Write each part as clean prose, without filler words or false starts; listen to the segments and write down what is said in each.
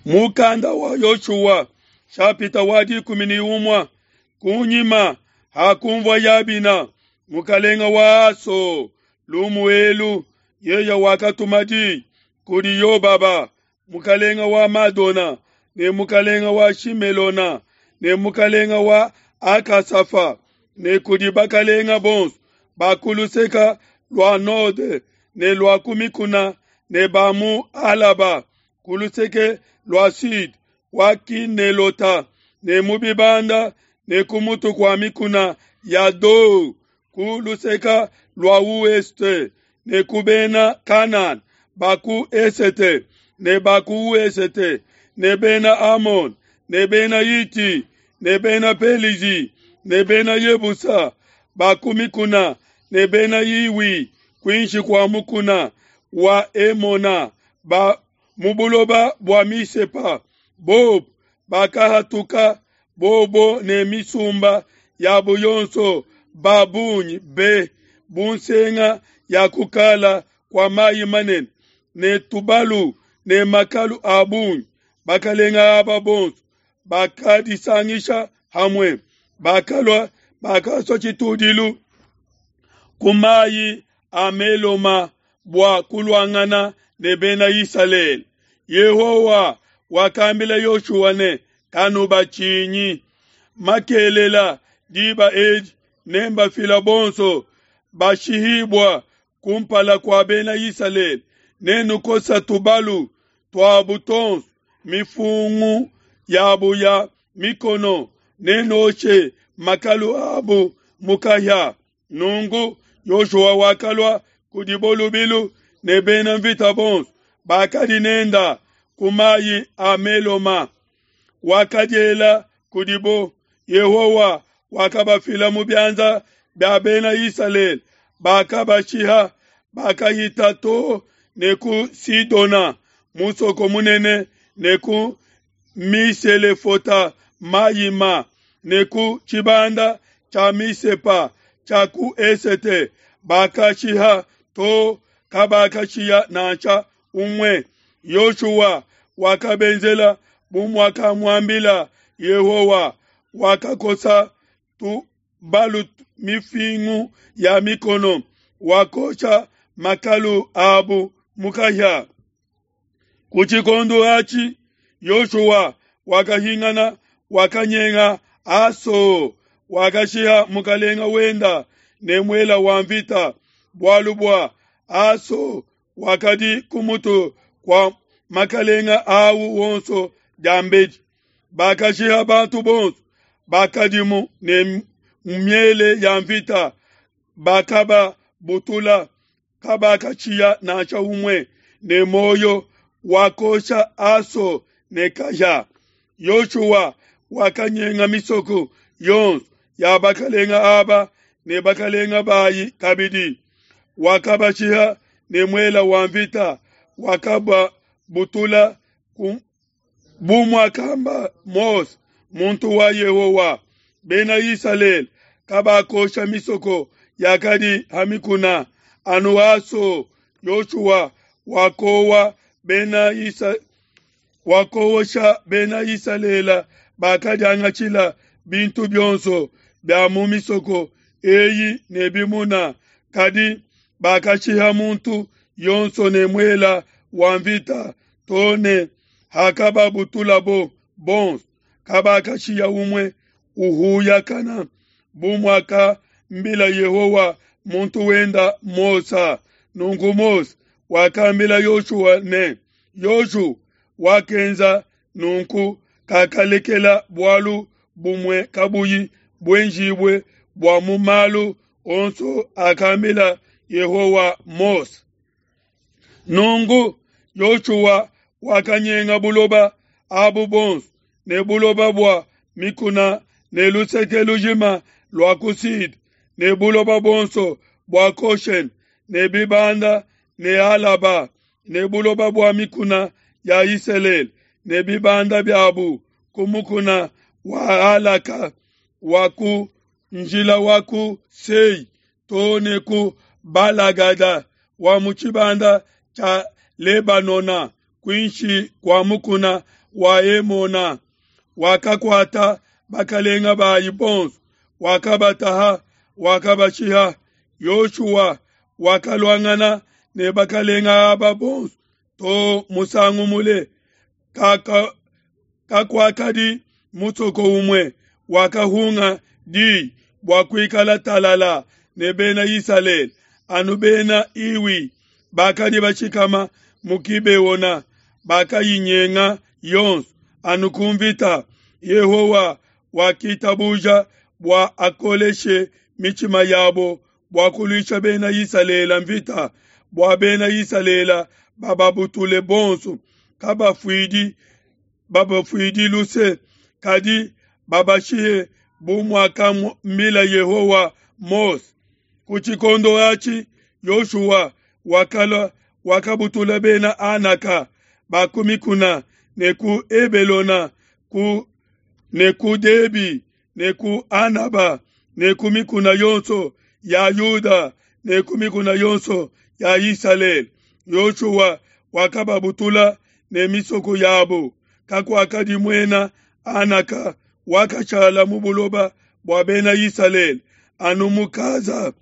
Mukanda wa Yoshua shapita wa 11. Kunyima hakumvua Yabina mukalenga wa Aso lumu elu, yeya wakatuma di kudi Yobaba mukalenga wa Madona ne mukalenga wa Shimelona ne mukalenga wa Akasafa ne kudi bakalenga bonso ba ku luseke lua node ne lua ku mikuna ne ba mu Alaba ku luseke lua sud wa Kinelota ne mu bibanda ne ku mutu kua mikuna ya Do ku luseke lua ouest ne ku bena Kanana ba ku esete ne ba ku ouest ne bena Amon ne bena Hiti ne bena Pelizi ne bena Yebusa ba ku mikuna ne bena Hiwi kuinshi kua mukuna wa Emona ba mu buloba bua Misepa. Bobo bakahatuka bobo ne misumba yabo yonso ba bungi be bu nsenga ya kukala kua mayi manene ne tubalu ne makalu a bungi. Bakalenga aba bonso bakadisangisha hamwe, bakalua bakasua tshitudilu ku mayi a Meloma bua kuluangana ne bena Isalele. Yehowa wakambila Yoshua ne, kanubatshinyi, makelela diba edi nembafila bonso bashihibua kumpala kua bena Isalele, nenukosa tubalu tuabu tonso mifungu yabu ya mikono, nenoshe makalu abu mukahia. Nunku Yoshua wakalua kudibo lubilu ne bena mvita bonso bakadi nenda ku mayi a Meloma, wakadiela kudibo. Yehowa wakabafila mu bianza bia bena Isalele, bakabashiha, bakahita to ne ku Sidona musoko munene, ne ku Miselefota Mayima, ne ku tshibanda tshia Misepa tshia ku esete, bakashiha to kabakashiya nansha umue. Yoshua wakabenzela bu muakamuambila Yehowa, wakakosa tubalu mifingu ya mikono, wakosha makalu abu mu kahia. Ku tshikondo atshi Yoshua wakahingana, wakanyenga Aso, wakashiha mukalenga wenda ne muela wa mvita, bualu bua Aso wakadi ku mutu kua makalenga awu wonso diambedi. Bakashiha bantu bonso bakadimu ne miele ya mvita, bakababutula, kabakashiya nansha umue ne muoyo. Wakosha Aso ne kahia. Yoshua wakanyenga misoko yonso ya bakalenga aba ne bakalenga bayi kabidi, wakabashiha ne muela wa mvita, wakababutula bu muakamba Mose muntu wa Yehowa. Bena Isalele kabakosha misoko yakadi ha mikuna, anu Aso. Yoshua wakowa bena Isa wakowosha bena Isalele bakadiangatshila bintu bionso bia mu misoko eyi ne bimuna, kadi bakashiha muntu yonso ne muela wa mvita to ne hakababutulabo bonso, kabakashiya umue uhuyakana, bu muakambila Yehowa muntu wenda Mose. Nunku Mose wakambila Yoshua ne, Yoshua wakenza nunku, kakalekela bualu bumue kabuyi buenjibue bua mu malu onso akambila Yehowa Mose. Nunku Yoshua wakanyenga buloba abu bonso ne buloba bua mikuna ne luseke lujima lua ku sud ne buloba bonso bua Goshen ne bibanda ne Alaba ne buloba bua mikuna ya Isalele ne bibanda biabu ku mukuna wa Alaka wa ku njila wa ku Sei to ne ku Balagada wa mu tshibanda tshia Lebanona kuinshi kua mukuna wa Hemona. Wakakuata bakalenga bayi bonso, wakabataha, wakabashiha. Yoshua wakaluangana ne bakalenga aba bonso to musangu mule. Kakuakadi musoko umue wakahunga di bua kuikala talala ne Bena Isalele, anu Bena Hiwi bakadi bashikama mu Gibeona bakayinyenga yonso anu ku mvita. Yehowa wakitabuja bua akoleshe mitshima yabo bua kuluisha Bena Isalele mvita, bua Bena Isalele bababutule bonso, kabafuidi babafuidi luse, kadi babashihe bu muakambila Yehowa Mose. Ku tshikondo atshi Yoshua wakalua wakabutula Bena Anaka ba ku mikuna ne ku Hebelona ku ne ku Debi ne ku Anaba ne ku mikuna yonso ya Yuda ne ku mikuna yonso ya Isalele. Yoshua wakababutula ne misoko yabo. Kakuakadi muena Anaka wakashala mu buloba bua Bena Isalele, anu mu Gaza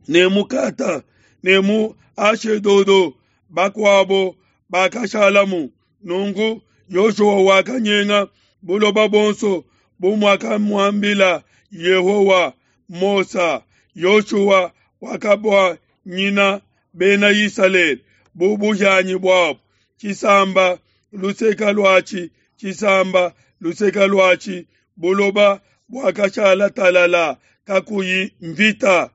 ne mu Gata ne mu Ashedodo, bakuabo bakashalamu. Nunku Yoshua wakanyenga buloba buonso bu muakamuambila Yehowa Mose. Yoshua wakabuanyina Bena Isalele bu buhianyi buabo, tshisamba luseke luatshi, tshisamba luseke luatshi, buloba buakashala talala kakuyi mvita.